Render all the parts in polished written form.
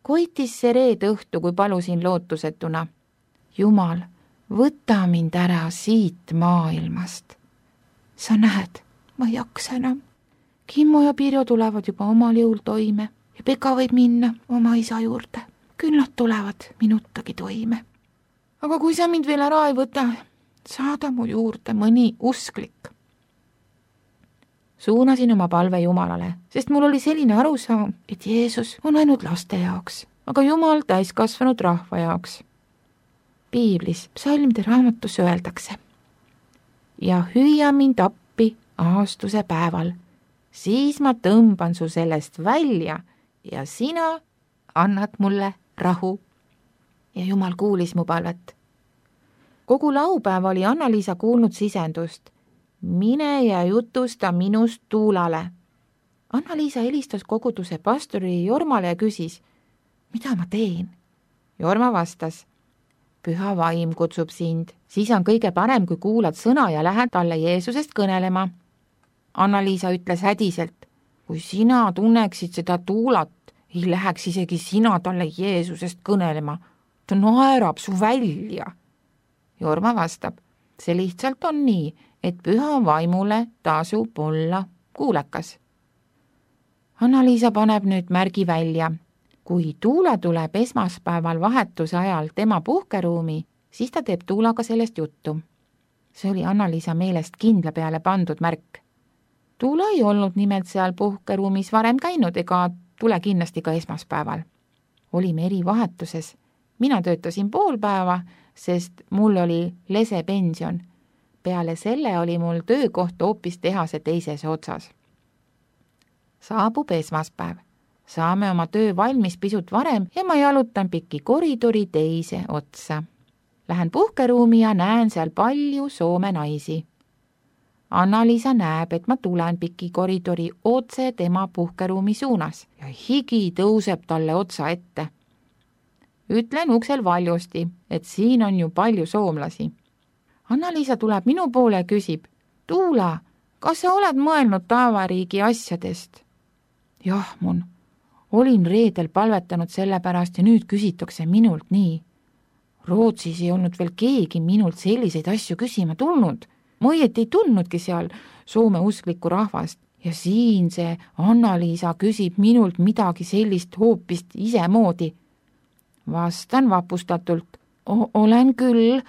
Koitis see reede õhtu, kui palusin lootusetuna. Jumal, võta mind ära siit maailmast. Sa näed, ma ei jaksa enam. Kimmo ja Pirjo tulevad juba omal jõul toime ja Peka võib minna oma isa juurde. Küll nad tulevad minutagi toime. Aga kui sa mind veel ära ei võta, saada mu juurde mõni usklik. Suunasin oma palve Jumalale, sest mul oli selline arusaam, et Jeesus on ainult laste jaoks, aga Jumal täiskasvanud rahva jaoks. Piiblis psalmide raamatus öeldakse: ja hüüa mind appi aastuse päeval, siis ma tõmban su sellest välja ja sina annad mulle rahu. Ja Jumal kuulis mu palvet. Kogu laupäev oli Anna-Liisa kuulnud sisendust: mine ja jutusta minust Tuulale. Anna-Liisa helistas koguduse pastori Jormale ja küsis: mida ma teen? Jorma vastas: püha vaim kutsub sind, siis on kõige parem, kui kuulad sõna ja lähed talle Jeesusest kõnelema. Anna-Liisa ütles hädiselt: kui sina tunneksid seda Tuulat, ei läheks isegi sina talle Jeesusest kõnelema. Ta naerab su välja. Jorma vastab: see lihtsalt on nii, et püha vaimule tasub olla kuulekas. Anna-Liisa paneb nüüd märgi välja: kui Tuula tuleb esmaspäeval vahetuse ajal tema puhkeruumi, siis ta teeb Tuulaga sellest juttu. See oli Anna-Liisa meelest kindla peale pandud märk. Tuula ei olnud nimelt seal puhkeruumis varem käinud ega tule kindlasti ka esmaspäeval. Olime eri vahetuses. Mina töötasin pool päeva, sest mul oli lesepension. Peale selle oli mul töökoht hoopis tehase teises otsas. Saabub esmaspäev. Saame oma töö valmis pisut varem ja ma jalutan pikki koridori teise otsa. Lähen puhkeruumi ja näen seal palju Soome naisi. Anna-Liisa näeb, et ma tulen pikki koridori otse tema puhkeruumi suunas ja higi tõuseb talle otsa ette. Ütlen uksel valjusti, et siin on ju palju soomlasi. Anna-Liisa tuleb minu poole ja küsib: Tuula, kas sa oled mõelnud taevariigi asjadest? Jah, mun. Olin reedel palvetanud selle pärast ja nüüd küsitakse minult nii. Rootsis ei olnud veel keegi minult selliseid asju küsima tulnud. Ma õieti ei tundnudki seal Soome usklikku rahvast ja siin see Anna-Liisa küsib minult midagi sellist hoopist isemoodi. Vastan vapustatult: olen küll.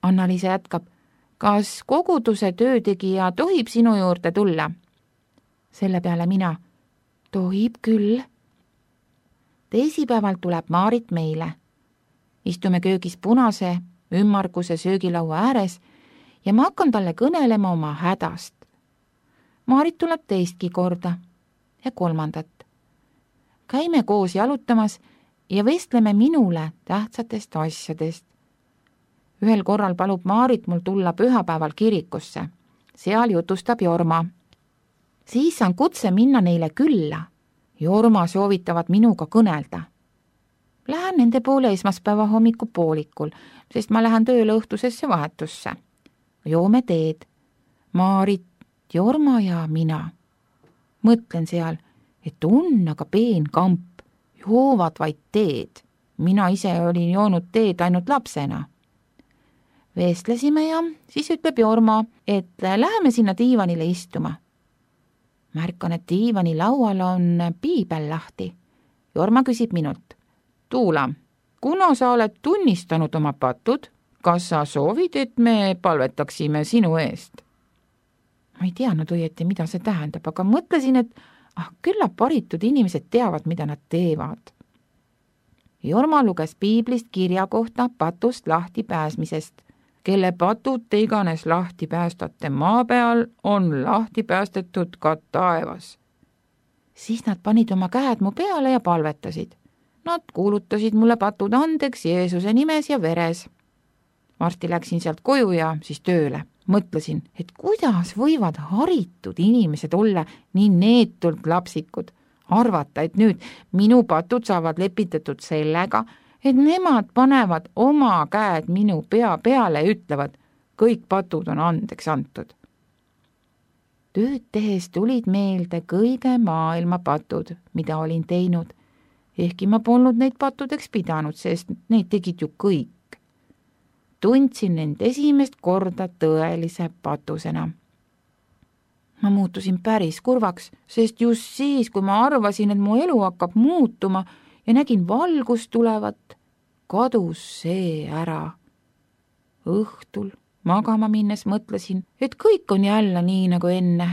Anna-Liisa jätkab: kas koguduse töötegija tohib sinu juurde tulla? Selle peale mina: tohib küll. Teisipäeval tuleb Maarit meile. Istume köögis punase, ümmarguse söögilaua ääres ja ma hakkan talle kõnelema oma hädast. Maarit tuleb teistki korda ja kolmandat. Käime koos jalutamas ja vestleme minule tähtsatest asjadest. Ühel korral palub Maarit mul tulla pühapäeval kirikusse. Seal jutustab Jorma. Siis saan kutse minna neile külla. Jorma soovitavad minuga kõnelda. Lähen nende poole esmaspäeva hommikupoolikul, sest ma lähen tööle õhtusesse vahetusse. Joome teed. Maarit, Jorma ja mina. Mõtlen seal, et on aga peen kamp. Joovad vaid teed. Mina ise olin joonud teed ainult lapsena. Vestlesime ja siis ütleb Jorma, et läheme sinna diivanile istuma. Märkan, et diivani laual on piibel lahti. Jorma küsib minult: Tuula, kuna sa oled tunnistanud oma patud, kas sa soovid, et me palvetaksime sinu eest? Ma ei teadnud õieti, mida see tähendab, aga mõtlesin, et küllap haritud inimesed teavad, mida nad teevad. Jorma luges piiblist kirja kohta patust lahti pääsmisest. Kelle patud te iganes lahti päästate maa peal, on lahti päästetud ka taevas. Siis nad panid oma käed mu peale ja palvetasid. Nad kuulutasid mulle patud andeks Jeesuse nimes ja veres. Varsti läksin sealt koju ja siis tööle. Mõtlesin, et kuidas võivad haritud inimesed olla nii neetult lapsikud. Arvata, et nüüd minu patud saavad lepitatud sellega, et nemad panevad oma käed minu pea peale ja ütlevad, kõik patud on andeks antud. Tööd tehes tulid meelde kõige maailma patud, mida olin teinud ehkki ma polnud neid pattudeks pidanud, sest neid tegid ju kõik. Tundsin end esimest korda tõelise patusena. Ma muutusin päris kurvaks, sest just siis, kui ma arvasin, et mu elu hakkab muutuma ja nägin valgust tulevat, kadus see ära. Õhtul magama minnes mõtlesin, et kõik on jälle nii nagu enne.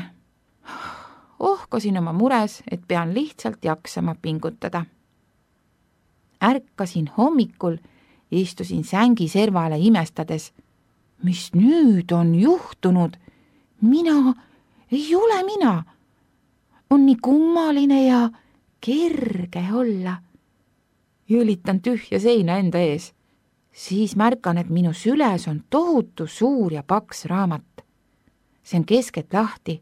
Ohkasin oma mures, et pean lihtsalt jaksama pingutada. Ärkasin hommikul, istusin sängi servale imestades. Mis nüüd on juhtunud? Mina ei ole mina. On nii kummaline ja kerge olla. Jõlitan tühja seina enda ees. Siis märkan, et minu süles on tohutu suur ja paks raamat. See on keskelt lahti.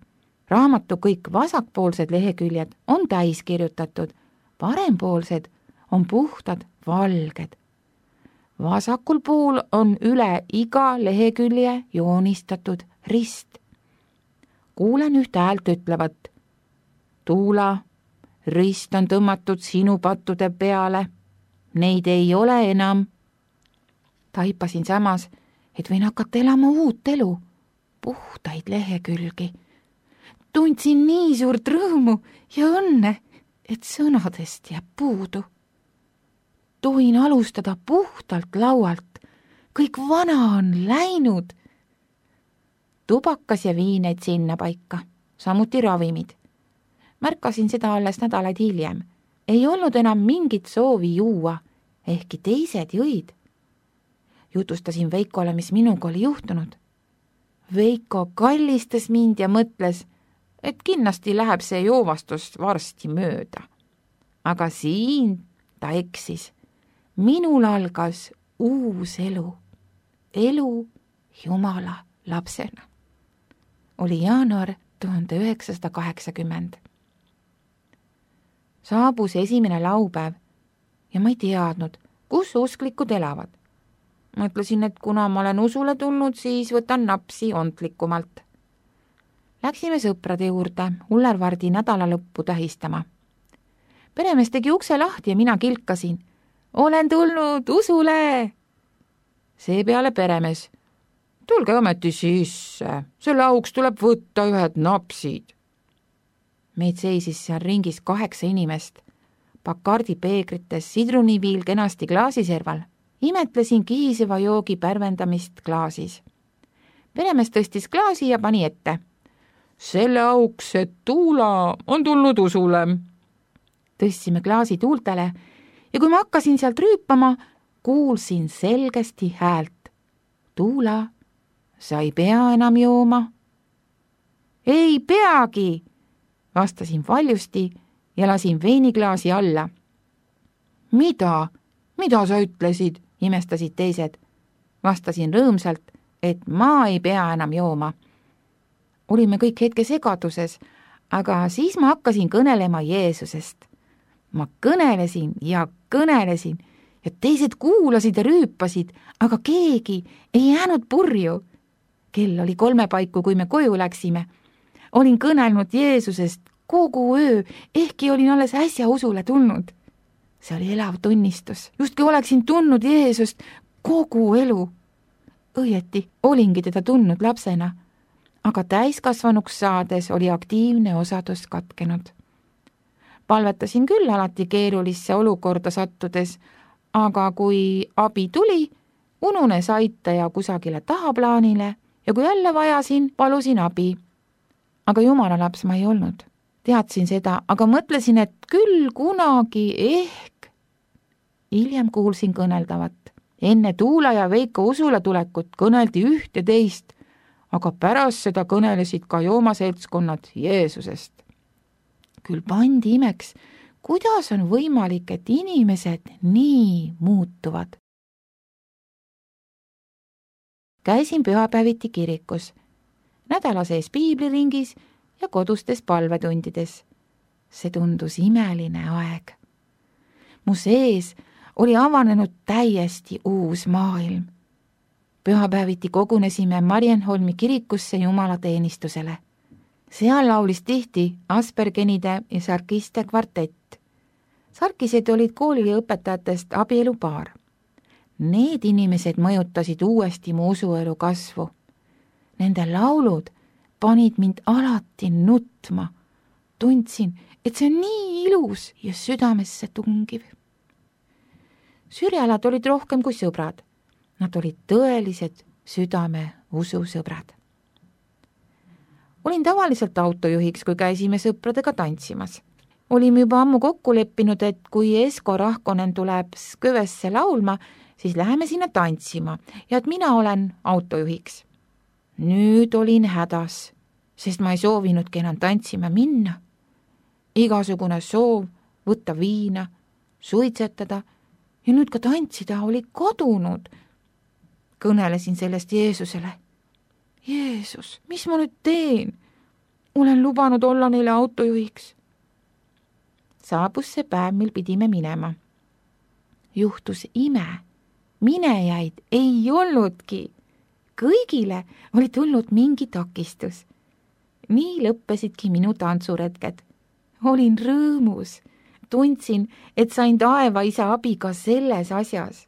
Raamatu kõik vasakpoolsed leheküljed on täis kirjutatud, parempoolsed on puhtad valged. Vasakul pool on üle iga lehekülje joonistatud rist. Kuulen üht häält ütlevat: Tuula, rist on tõmmatud sinu pattude peale. Neid ei ole enam. Taipasin samas, et võin hakata elama uut elu, puhtaid lehekülgi. Tundsin nii suurt rõõmu ja õnne, et sõnadest jääb puudu. Tohin alustada puhtalt laualt. Kõik vana on läinud. Tubakas ja viin jäid sinna paika, samuti ravimid. Märkasin seda alles nädalaid hiljem. Ei olnud enam mingit soovi juua, ehkki teised jõid. Jutustasin Veikole, mis minuga oli juhtunud. Veiko kallistas mind ja mõtles, et kindlasti läheb see joovastus varsti mööda. Aga siin ta eksis. Minul algas uus elu. Elu Jumala lapsena. Oli jaanuar 1980. Saabus esimene laupäev ja ma ei teadnud, kus usklikud elavad. Mõtlesin, et kuna ma olen usule tulnud, siis võtan napsi ontlikumalt. Läksime sõprade juurde Ullervardi nädalalõppu tähistama. Peremees tegi ukse lahti ja mina kilkasin. Olen tulnud usule! Seepeale peremees. Tulge ometi sisse, selle auks tuleb võtta ühed napsid. Meid seisis seal ringis 8 inimest. Bacardi peegrites, sidruniviil kenasti klaasiserval. Imetlesin kihiseva joogi pärvendamist klaasis. Peremees tõstis klaasi ja pani ette. Selle auks, et Tuula on tulnud usule. Tõstsime klaasi tuultele ja kui ma hakkasin sealt rüüpama, kuulsin selgesti häält. Tuula, sa ei pea enam jooma. Ei peagi, vastasin valjusti ja lasin veiniklaasi alla. Mida sa ütlesid? Imestasid teised. Vastasin rõõmsalt, et ma ei pea enam jooma. Olime kõik hetke segaduses, aga siis ma hakkasin kõnelema Jeesusest. Ma kõnelesin ja teised kuulasid ja rüüpasid, aga keegi ei jäänud purju. Kell oli 3 paiku, kui me koju läksime. Olin kõnelnud Jeesusest kogu öö, ehkki olin alles äsja usule tulnud. See oli elav tunnistus. Justki oleksin tundnud Jeesust kogu elu. Õieti olingi teda tundnud lapsena, aga täiskasvanuks saades oli aktiivne osadus katkenud. Palvetasin küll alati keerulisse olukorda sattudes, aga kui abi tuli, ununes aitaja kusagile tahaplaanile ja kui jälle vajasin, palusin abi. Aga Jumala laps ma ei olnud. Teadsin seda, aga mõtlesin, et küll kunagi ehk. Hiljem kuulsin kõneldavat. Enne Tuula ja Veiko usule tulekut kõneldi üht ja teist, aga pärast seda kõnelesid ka joomaseltskonnad Jeesusest. Küll pandi imeks, kuidas on võimalik, et inimesed nii muutuvad. Käisin pühapäeviti kirikus, nädala sees piibliringis ja kodustes palvetundides. See tundus imeline aeg. Mu sees oli avanenud täiesti uus maailm. Pühapäeviti kogunesime Marienholmi kirikusse jumalateenistusele. Seal laulis tihti Aspergenide ja Sarkiste kvartett. Sarkised olid kooliõpetajatest abielupaar. Need inimesed mõjutasid uuesti mu usuelu kasvu. Nende laulud panid mind alati nutma. Tundsin, et see on nii ilus ja südamesse tungiv. Sürjalad olid rohkem kui sõbrad. Nad olid tõelised südame ususõbrad. Olin tavaliselt autojuhiks, kui käisime sõpradega tantsimas. Olime juba ammu kokku leppinud, et kui Esko Rahkonen tuleb Skövesse laulma, siis läheme sinna tantsima ja et mina olen autojuhiks. Nüüd olin hädas, sest ma ei soovinudki enam tantsima minna. Igasugune soov võtta viina, suitsetada ja nüüd ka tantsida oli kadunud. Kõnelesin sellest Jeesusele. Jeesus, mis ma nüüd teen? Olen lubanud olla neile autojuhiks. Saabus see päev, mil pidime minema. Juhtus ime. Minejaid ei olnudki. Kõigile oli tulnud mingi takistus. Nii lõppesidki minu tantsuretked. Olin rõõmus. Tundsin, et sain taeva isa abi ka selles asjas.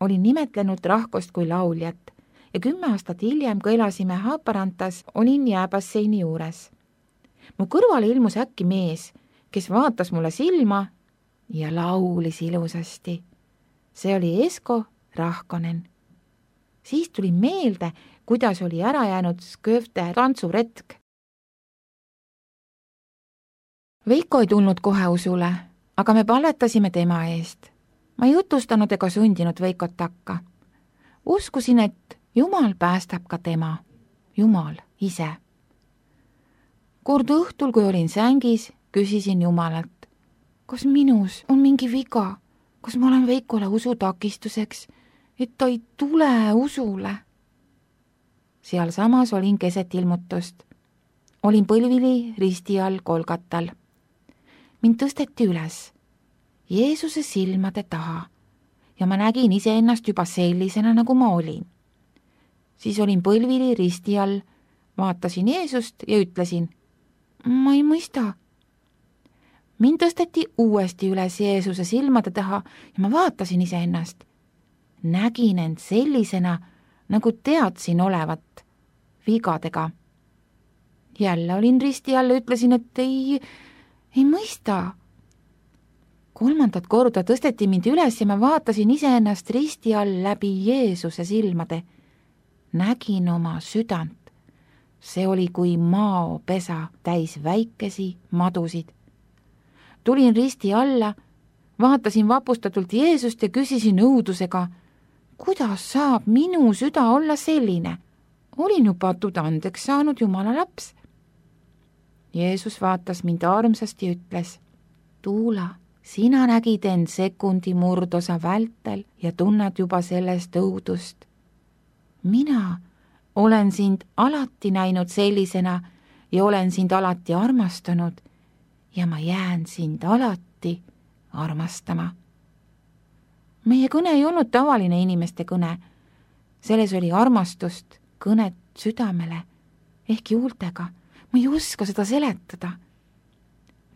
Olin nimetlenud Rahkost kui lauljat ja 10 aastat hiljem, kui elasime Haaparantas, olin jääbasseini juures. Mu kõrvale ilmus äkki mees, kes vaatas mulle silma ja laulis ilusasti. See oli Esko Rahkonen. Siis tuli meelde, kuidas oli ära jäänud Skövde tantsuretk. Veiko ei tulnud kohe usule, aga me palvetasime tema eest. Ma ei jutustanud ega sundinud Veikot takka. Uskusin, et Jumal päästab ka tema, Jumal ise. Kord õhtul, kui olin sängis, küsisin Jumalalt, kas minus on mingi viga, kas ma olen Veikole usutakistuseks, et ta ei tule usule. Seal samas olin keset ilmutust. Olin põlvili risti all Golgatal. Mind tõsteti üles Jeesuse silmade taha ja ma nägin iseennast juba sellisena, nagu ma olin. Siis olin põlvili risti all, vaatasin Jeesust ja ütlesin, ma ei mõista. Mind tõsteti uuesti üles Jeesuse silmade taha ja ma vaatasin iseennast. Nägin end sellisena, nagu teadsin olevat, vigadega. Jälle olin risti all ja ütlesin, et ei mõista. 3. korda tõsteti mind üles ja ma vaatasin iseennast risti all läbi Jeesuse silmade. Nägin oma südant. See oli kui maopesa täis väikesi madusid. Tulin risti alla, vaatasin vapustatult Jeesust ja küsisin õudusega, kuidas saab minu süda olla selline? Olin ju patud andeks saanud Jumala laps. Jeesus vaatas mind armsasti ja ütles, Tuula, sina nägid end sekundi murdosa vältel ja tunned juba sellest õudust. Mina olen sind alati näinud sellisena ja olen sind alati armastanud ja ma jään sind alati armastama. Meie kõne ei olnud tavaline inimeste kõne. Selles oli armastust, kõnet südamele ehk juultega. Ma ei oska seda seletada.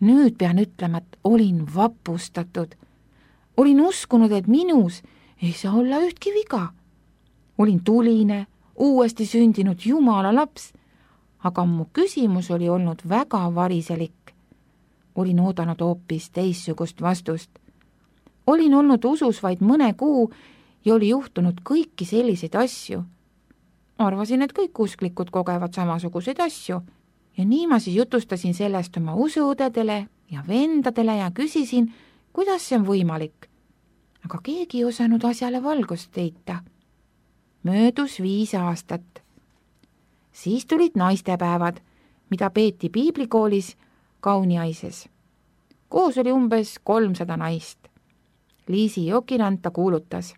Nüüd pean ütlema, et olin vapustatud. Olin uskunud, et minus ei saa olla ühtki viga. Olin tuline, uuesti sündinud Jumala laps, aga mu küsimus oli olnud väga variselik. Olin oodanud hoopis teissugust vastust. Olin olnud usus vaid mõne kuu ja oli juhtunud kõiki selliseid asju. Arvasin, et kõik usklikud kogevad samasuguseid asju ja nii ma siis jutustasin sellest oma usuõdedele ja vendadele ja küsisin, kuidas see on võimalik. Aga keegi ei osanud asjale valgust heita. Möödus 5 aastat. Siis tulid naistepäevad, mida peeti piiblikoolis Kauniaises. Koos oli umbes 300 naist. Liisi Jokiranta kuulutas,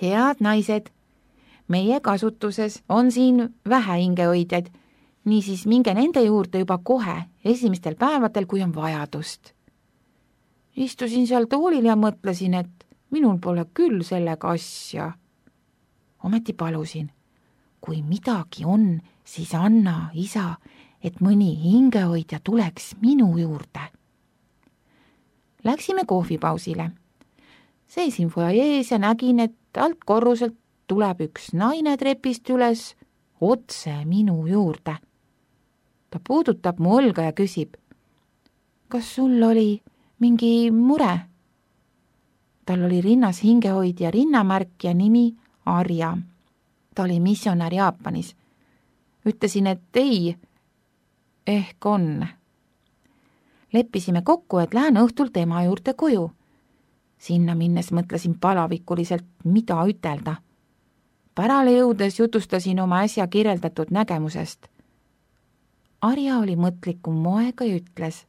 head naised, meie kasutuses on siin vähe hingehoidjaid, niisiis minge nende juurde juba kohe esimestel päevadel, kui on vajadust. Istusin seal toolil ja mõtlesin, et minul pole küll sellega asja. Ometi palusin, kui midagi on, siis anna, isa, et mõni hingehoidja tuleks minu juurde. Läksime kohvipausile. Seisin fuajees ja nägin, et alt korruselt tuleb üks naine trepist üles otse minu juurde. Ta puudutab mu õlga ja küsib: kas sul oli mingi mure? Tal oli rinnas hingehoidja rinnamärk ja nimi Arja. Ta oli missionär Jaapanis. Ütlesin, et ei, ehk on. Leppisime kokku, et lähen õhtul tema juurde koju. Sinna minnes mõtlesin palavikuliselt, mida ütelda. Pärale jõudes jutustasin oma äsja kirjeldatud nägemusest. Arja oli mõtlikum moega ja ütles: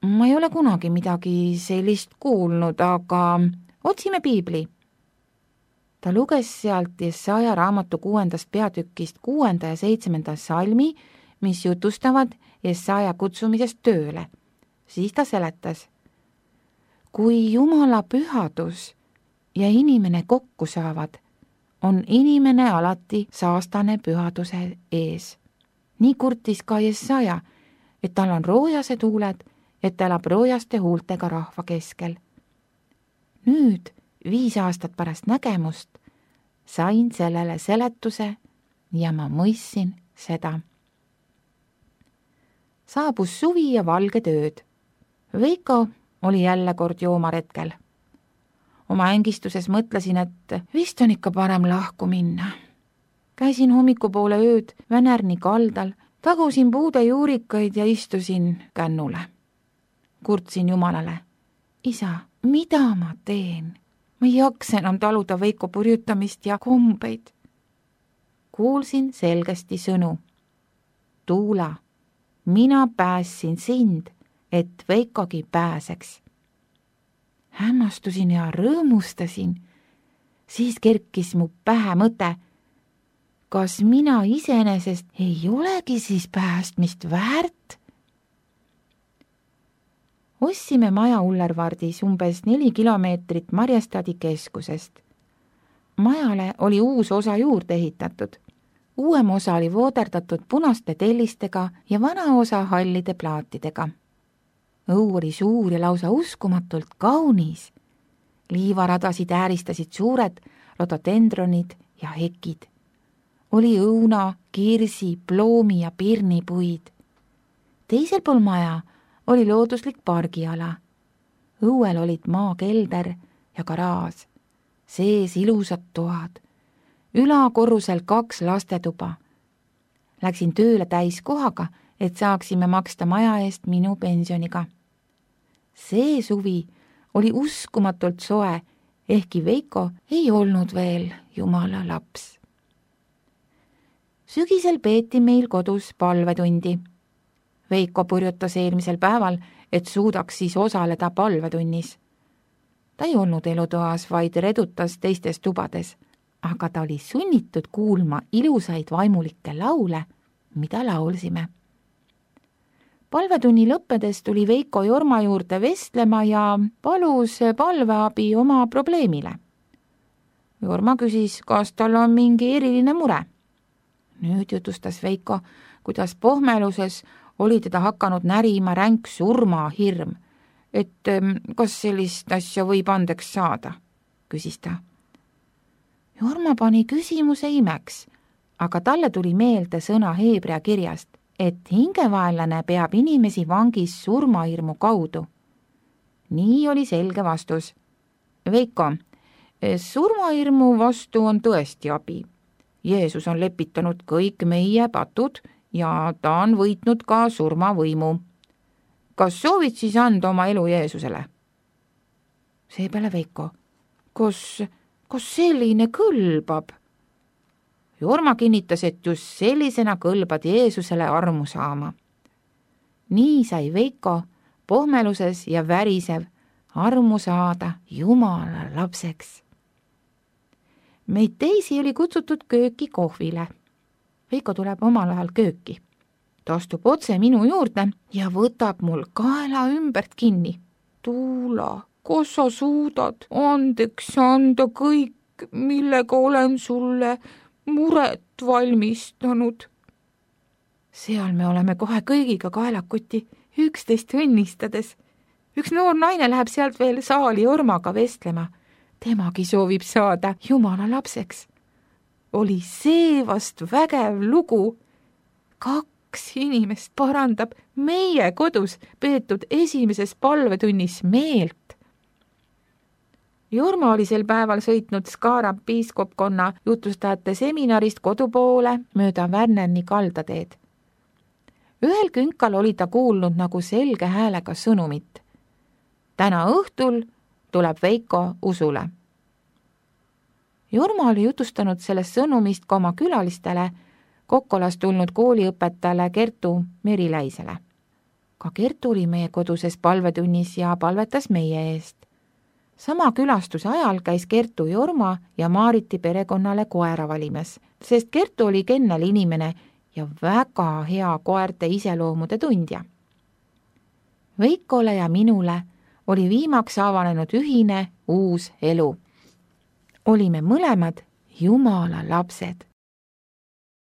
ma ei ole kunagi midagi sellist kuulnud, aga otsime piibli. Ta luges sealt Jesaja raamatu 6. peatükist 6. ja 7. salmi, mis jutustavad Jesaja kutsumisest tööle. Siis ta seletas: kui Jumala pühadus ja inimene kokku saavad, on inimene alati saastane pühaduse ees. Nii kurtis ka Jesaja, et tal on roojased huuled, et ta elab roojaste huultega rahva keskel. Nüüd, 5 aastat pärast nägemust, sain sellele seletuse ja ma mõistsin seda. Saabus suvi ja valged ööd. Veiko oli jälle kord joomaretkel. Oma ängistuses mõtlesin, et vist on ikka parem lahku minna. Käisin hommikupoole ööd Vänärni kaldal, tagusin puude juurikaid ja istusin kännule. Kurtsin Jumalale: isa, mida ma teen? Ma ei jaksa enam taluda Veiko purjutamist ja kombeid. Kuulsin selgesti sõnu: Tuula, mina päässin sind, et Veikogi pääseks. Hämmastusin ja rõõmustasin. Siis kerkis mu pähe mõte: kas mina iseenesest ei olegi siis päästmist väärt? Ostsime maja Ullervardis umbes 4 kilomeetrit Marjastadi keskusest. Majale oli uus osa juurde ehitatud. Uuem osa oli vooderdatud punaste tellistega ja vana osa hallide plaatidega. Õu oli suur ja lausa uskumatult kaunis. Liivaradasid ääristasid suured rododendronid ja hekid. Oli õuna, kirsi, ploomi ja pirnipuid. Teisel pool maja oli looduslik pargiala. Õuel olid maakelder ja garaaž. Sees ilusad toad. Ülakorrusel 2 lastetuba. Läksin tööle täiskohaga, et saaksime maksta maja eest minu pensioniga. See suvi oli uskumatult soe, ehkki Veiko ei olnud veel Jumala laps. Sügisel peeti meil kodus palvetundi. Veiko purjutas eelmisel päeval, et suudaks siis osaleda palvetunnis. Ta ei olnud elutoas, vaid redutas teistes tubades, aga ta oli sunnitud kuulma ilusaid vaimulikke laule, mida laulsime. Palvetunni lõppedes tuli Veiko Jorma juurde vestlema ja palus palveabi oma probleemile. Jorma küsis, kas tal on mingi eriline mure. Nüüd jutustas Veiko, kuidas pohmeluses oli teda hakanud närima ränk surmahirm, et kas sellist asja võib andeks saada, küsis ta. Jorma pani küsimuse imeks, aga talle tuli meelde sõna heebrea kirjast, et hingevaenlane peab inimesi vangis surmahirmu kaudu. Nii oli selge vastus. Veiko, surmahirmu vastu on tõesti abi. Jeesus on lepitanud kõik meie patud ja ta on võitnud ka surmavõimu. Kas soovid siis anda oma elu Jeesusele? Seepeale Veiko, kas selline kõlbab? Jorma kinnitas, et just sellisena kõlbad Jeesusele armu saama. Nii sai Veiko pohmeluses ja värisev armu saada Jumala lapseks. Meid teisi oli kutsutud kööki kohvile. Veiko tuleb omal ajal kööki. Ta astub otse minu juurde ja võtab mul kaela ümbert kinni. Tuula, kas sa suudad andeks anda kõik, millega olen sulle muret valmistanud? Seal me oleme kohe kõigiga kaelakuti üksteist õnnistades. üks noor naine läheb sealt veel saali Jormaga vestlema. Temagi soovib saada Jumala lapseks. Oli see vast vägev lugu. 2 inimest parandab meie kodus peetud esimeses palvetunnis meelt. Jorma oli sel päeval sõitnud Skara piiskopkonna jutustajate seminarist kodupoole mööda Värneni kaldateed. Ühel künkal oli ta kuulnud nagu selge häälega sõnumit. Täna õhtul tuleb Veiko usule. Jorma oli jutustanud sellest sõnumist ka oma külalistele, Kokkolast tulnud kooliõpetajale Kertu Meriläisele. Ka Kertu oli meie koduses palvetunnis ja palvetas meie eest. Sama külastuse ajal käis Kertu Jorma ja Maariti perekonnale koera valimas, sest Kertu oli kennel inimene ja väga hea koerte iseloomude tundja. Veikole ja minule oli viimaks avanenud ühine uus elu. Olime mõlemad Jumala lapsed.